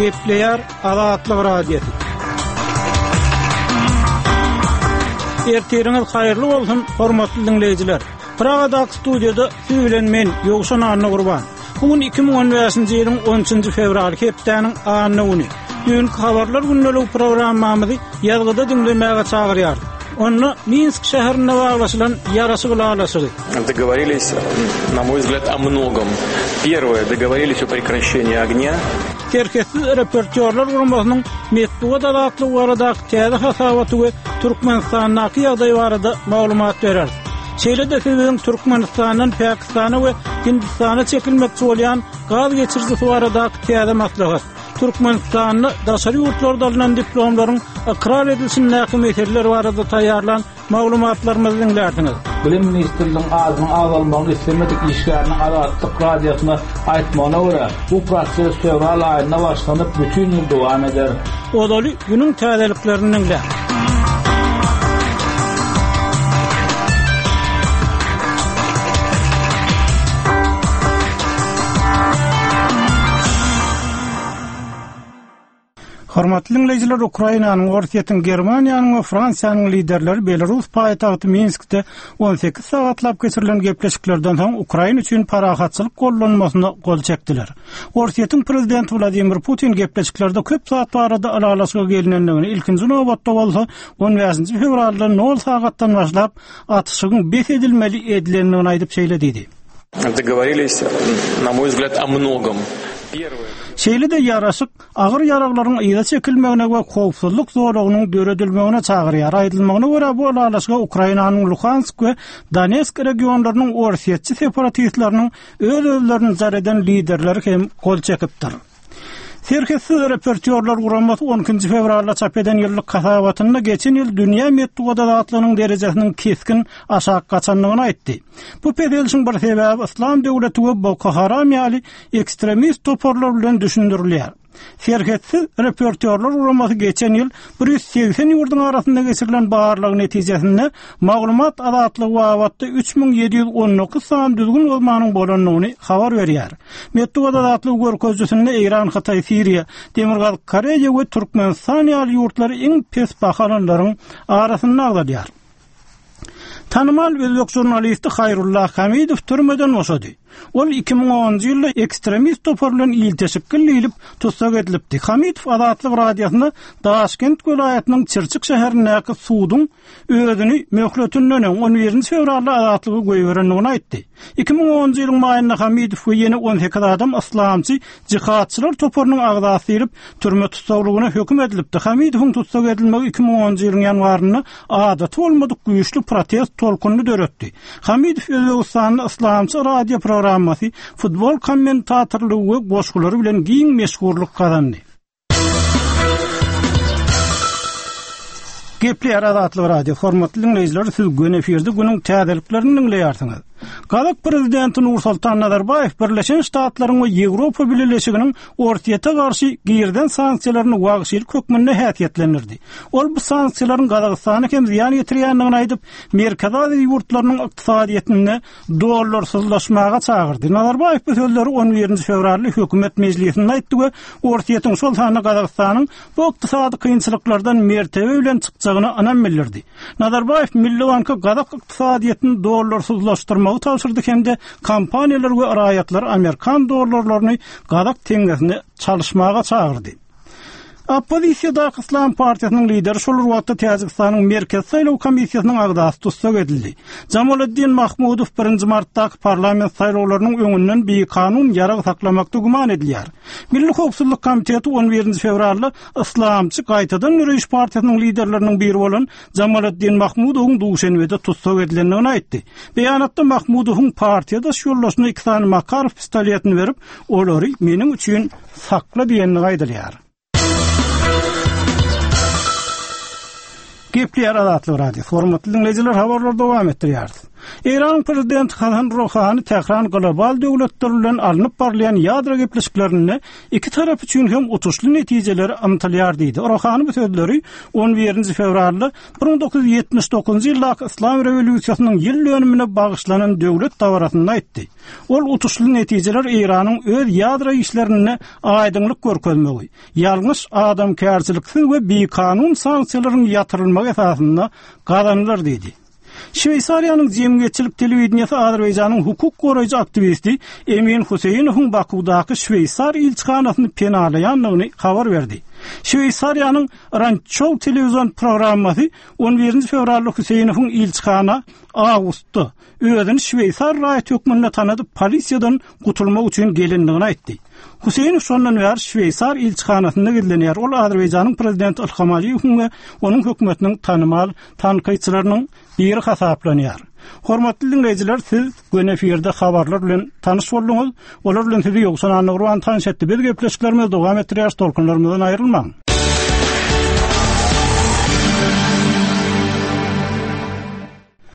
Gepleýär Azatlyk Radiosy. Ertiriňiz haýyrly bolsun, hormatly diňleýjiler. Pragadaky studiýada siz bilen men, Ýowşan Annagurban. Bu gün 2015-nji ýylyň 13-nji fewraly hepdäniň anna güni. Düýnki habarlar gündeligi programmamyzy ýazgyda diňlemäge çagyrýarys. Onda Minsk şäherinde baglaşylan ýaraşyk ylalaşygy. Dogovorились, na moý wzglýad, o mnogom. Perwoe, dogovorились o prekraşeniýi ognýa. Serhetsiz reportýorlar guramasynyň metbugat azatlygy baradaky täze hasabaty we Türkmenistandaky ýagdaý barada maglumat bereris. Şeýle-de siz biziň Türkmenistandan Pakistana we Hindistana çekilmekçi bolýan gaz geçirijisi baradaky täze maslahat, Türkmenistanda daşary ýurtlarda alnan diplomlaryň ykrar edilişindäki meseleler barada taýýarlan maglumatlarymyzy diňlärsiňiz. Bilim ministrliginiň adynyň agzalmagyny islemedik işgäriniň Azatlyk Radiosyna aýtmagyna görä, bu proses fewral aýynda başlanyp, bütin ýyl dowam eder. Ozaly günüň täzeliklerini diňläň. Hormatly diňleýjiler, Ukrainanyň, Orsýetiň, Germaniýanyň we Fransiýanyň liderleri Belarus paýtagty Minskde 18 sagatlap geçirilen gepleşiklerden soň Ukraina üçin parahatçylyk gollanmasyna gol çekdiler. Orsýetiň prezidenti Wladimir Putin gepleşiklerde köp zat barada ylalaşyga gelinendigini, ilkinji nobatda bolsa 15-nji fewralda nol sagatdan başlap atyşygyň bes edilmeli edilendigini aýdyp şeýle diýdi. Dogovorились, na moý wzglýad, o mnogom. Şeýle-de ýaraşyk agyr ýaraglaryň yza çekilmegine we howpsuzlyk zolagynyň döredilmegine çagyrýar. Aýdylmagyna görä, bu ylalaşyga Ukrainanyň Luhansk we Donetsk regionlarynyň orsýetçi separatistleriniň öz-özlerini jar eden liderleri hem gol çekipdir. Serhetsiz reportýorlar guramasy on ikinji fewralda çap eden ýyllyk hasabatynda geçen ýyl dünýä metbugat azatlygynyň derejesiniň kesgin aşak gaçandygyny aýtdy. Bu peselişiň bir sebäbi Yslam döwleti we Boko Haram ýaly ekstremist toparlar bilen düşündirilýär. Serhetsiz reportýorlar guramasy geçen ýyl 180 ýurduň arasynda geçirilen barlag netijesinde maglumat azatlygy babatda 3719 sany düzgün bozmanyň bolandygyny habar berýär. Metbugat azatlygy görkezijisinde Eýran, Hytaý, Siriýa, Demirgazyk Koreýa we Türkmenistan ýaly ýurtlar iň pes baha alanlaryň arasynda agzalýar. Tanymal özbek žurnalisti Haýrulla Hamidow türmeden boşady. Ol 2010-njy ýylda ekstremist topar bilen ilteşikli diýlip tussag edilipdi. Hamidow Azatlyk Radiosyna Daşkent welaýatynyň Çirçik şäherindäki suduň özüni möhletinden öň, on birinji fewralda azatlyga goýberendigini aýtdy. 2010-njy ýylyň maýynda Hamidow we ýene 18 adam yslamçy jihadçylar toparynyň agzasy diýlip, türme tussaglygyna höküm edilipdi. Hamidowyň tussag edilmegi 2010-njy ýylyň ýanwarynda adaty bolmadyk güýçli protest tolkunyny döretdi. Hamidow Özbegistanda yslamçy radio programmasy, futbol kommentatorlygy we goşgulary bilen giň meşhurlyk gazandy. Gepleýär Azatlyk Radio. Hormatly diňleýjiler, siz göni efirde günüň täzeliklerini diňleýärsiňiz. Gazak prezidenti Nursultan Nazarbaýew Birleşen Ştatlaryň we Ýewropa Bileleşiginiň Orsýete garşy girizen sanksiýalaryny wagşylyk hökmünde häsiýetlendirdi. Ol bu sanksiýalaryň Gazagystana hem zyýan ýetirýändigini aýdyp, Merkezi Aziýa ýurtlarynyň ykdysadyýetinde dollarsyzlaşmaga çagyrdy. Nazarbaýew bu sözleri on birinji fewralda hökümet mejlisinde aýtdy we Orsýetiň, şol sanda Gazagystanyň bu ykdysady kynçylyklardan mertebe bilen çykjagyna ynam bildirdi. Nazarbaýew Milli banka gazak ykdysadyýetini dollarsyzlaşdyrmagy tabşyrdy hem-de kompaniýalary we raýatlary amerikan dollarlaryny gazak teňňesine çalyşmaga çagyrdy. Oppozisiýadaky Yslam partiýasynyň lideri şol bir wagtda Täjigistanyň Merkezi saýlaw komissiýasynyň agzasy tussag edildi. Jamoliddin Mahmudow birinji martdaky parlament saýlawlarynyň öňünden bikanun ýarag saklamakda güman edilýär. Milli howpsuzlyk komiteti on birinji fewralda Yslamçy gaýtadan döreýiş partiýasynyň liderleriniň biri bolan Jamoliddin Mahmudowyň Duşenbede tussag edilendigini aýtdy. Beýanatda Mahmudowyň partiýadaş ýoldaşyna iki sany Makarow pistoletini berip, olary meniň üçin sakla diýendigi aýdylýar. Gepleýär Azatlyk Radiosy. Hormatly diňleýjiler, habarlary dowam etdirýäris. Eýranyň prezidenti Hasan Ruhani Tähran global döwletler bilen alnyp barylýan ýadro gepleşiklerinde iki tarap üçin hem utuşly netijelere ymtylýar diýdi. Ruhani bu sözleri on birinji fewralda 1979-njy ýyldaky Yslam rewolýusiýasynyň ýyl dönümine bagyşlanan döwlet dabarasynda aýtdy. Ol utuşly netijeler Eýranyň öz ýadro işlerinde aýdyňlyk görkezmegi, ýalňyş, adamkärçiliksiz we bikanun sanksiýalaryň ýatyrylmagy esasynda gazanylar diýdi. Şweýsariýanyň jemgyýetçilik telewideniýesi Azerbaýjanyň hukuk goraýjy aktiwisti Emin Huseýnowyň Bakuwdaky şweýsar ilçihanasyny penalaýandygyny habar berdi. Şweýsariýanyň Randşou telewizion programmasy on birinji fewralda Huseýnowyň ilçihana awgustda özüni şweýsar raýaty hökmünde tanadyp polisiýadan gutulmak üçin gelendigini aýtdy. Huseýnow şondan bäri şweýsar ilçihanasynda gizlenýär. Ol Azerbaýjanyň prezidenti Ilham Aliýewiň we onuň hökümetiniň tanymal tankytçylarynyň biri hasaplanýar. Hormatly diňleýjiler, siz göni efirde habarlar bilen tanyş bolduňyz. Olar bilen sizi Ýowşan Annagurban tanyş etdi. Biz gepleşiklerimizi dowam etdirýäris, tolkunlarymyzdan aýrylmaň.